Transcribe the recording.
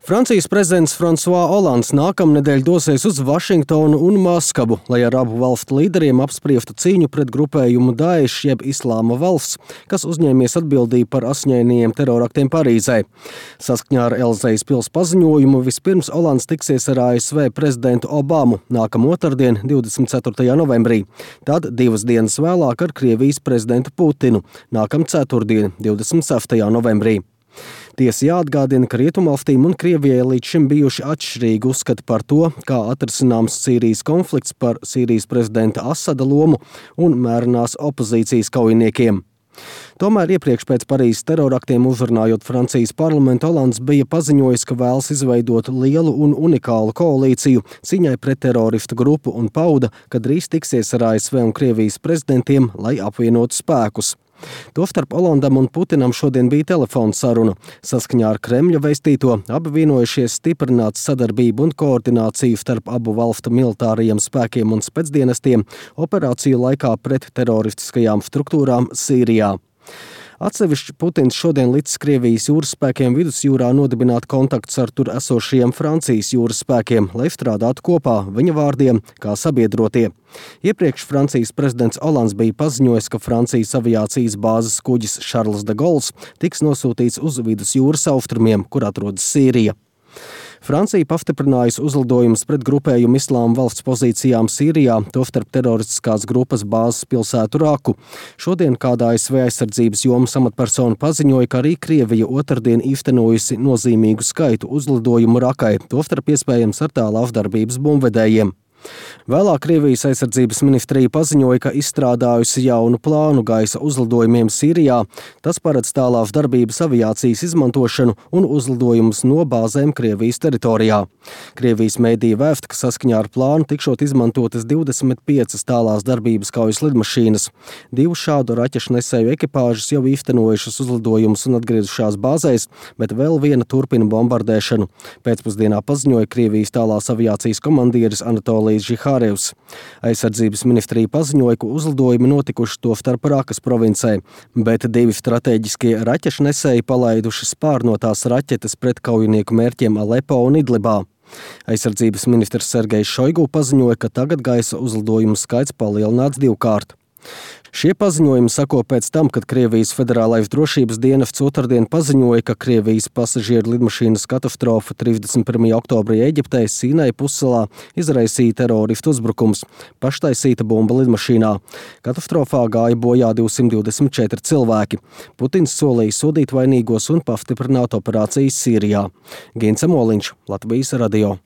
Francijas prezidents François Hollands nākamnedēļ dosies uz Vašingtonu un Maskavu, lai ar abu valstu līderiem apspriestu cīņu pret grupējumu Daesh jeb Islāma valsts, kas uzņēmies atbildību par asiņainajiem teroraktiem Parīzē. Saskaņā ar Elzejas pils paziņojumu vispirms Hollands tiksies ar ASV prezidentu Obamu nākamā otrdien, 24. novembrī, tad 2 dienas vēlāk ar Krievijas prezidentu Putinu nākamā ceturtdien, 26. novembrī. Tiesa jāatgādina, ka Rietumvalstīm un Krievijai līdz šim bijuši atšķirīgi uzskati par to, kā atrisināms Sīrijas konflikts, par Sīrijas prezidenta Asada lomu un mērenās opozīcijas kaujiniekiem. Tomēr iepriekš pēc Parīzes teroraktiem uzrunājot Francijas parlamentu, Hollands bija paziņojis, ka vēlas izveidot lielu un unikālu koalīciju cīņai pret teroristu grupu un pauda, ka drīz tiksies ar ASV un Krievijas prezidentiem, lai apvienotu spēkus. Tostarp Hollandam un Putinam šodien bija telefona saruna. Saskaņā ar Kremļa vēstīto abi vienojušies stiprināt sadarbību un koordināciju starp abu valstu militārajiem spēkiem un specdienestiem operāciju laikā pret teroristiskajām struktūrām Sīrijā. Atsevišķi Putins šodien licis Krievijas jūras spēkiem vidusjūrā nodibināt kontaktus ar tur esošajiem Francijas jūras spēkiem, lai strādātu kopā, viņa vārdiem, kā sabiedrotie. Iepriekš Francijas prezidents Hollands bija paziņojis, ka Francijas aviācijas bāzes kuģis Charles de Gaulle tiks nosūtīts uz vidusjūras austrumiem, kur atrodas Sīrija. Francija pastiprinājusi uzlidojumus pret grupējumu Islāma valsts pozīcijām Sīrijā, tostarp teroristiskās grupas bāzes pilsētu Raku. Šodien kādā ASV aizsardzības jomas amatpersona paziņoja, ka arī Krievija otrdien īstenojusi nozīmīgu skaitu uzlidojumu Rakai, tostarp iespējams ar tālās darbības bumbvedējiem. Vēlāk Krievijas aizsardzības ministrija paziņoja, ka izstrādājusi jaunu plānu gaisa uzlidojumiem Sīrijā. Tas paredz tālās darbības aviācijas izmantošanu un uzlidojumus no bāzēm Krievijas teritorijā. Krievijas mēdīja vēsta, ka saskaņā ar plānu tikšot izmantotas 25 tālās darbības kaujas lidmašīnas. 2 šādu raķešu nesēju ekipāžas jau īstenojušas uzlidojumus un atgriezušās bāzēs, bet vēl viena turpina bombardēšanu. Pēcpusdienā paziņoja Krievijas tālās aviācijas komandieris Anatolijs Žihārevs. Aizsardzības ministrija paziņoja, ka uzlidojumi notikuši tostarp Rakas provincē, bet 2 strateģiskie raķešu nesēji palaiduši spārnotās raķetes pret kaujinieku mērķiem Alepo un Idlibā. Aizsardzības ministrs Sergejs Šoigu paziņoja, ka tagad gaisa uzlidojumu skaits palielināts 2-kārt. Šie paziņojumi sako pēc tam, kad Krievijas federālais drošības dienests otrdien paziņoja, ka Krievijas pasažieru lidmašīnas katastrofa 31. oktobrī Eģiptē Sīnai pussalā izraisīja teroristu uzbrukums, paštaisīta bumba lidmašīnā. Katastrofā gāja bojā 224 cilvēki. Putins solīja sodīt vainīgos un pastiprināt operācijas Sīrijā. Gins Amoliņš, Latvijas radio.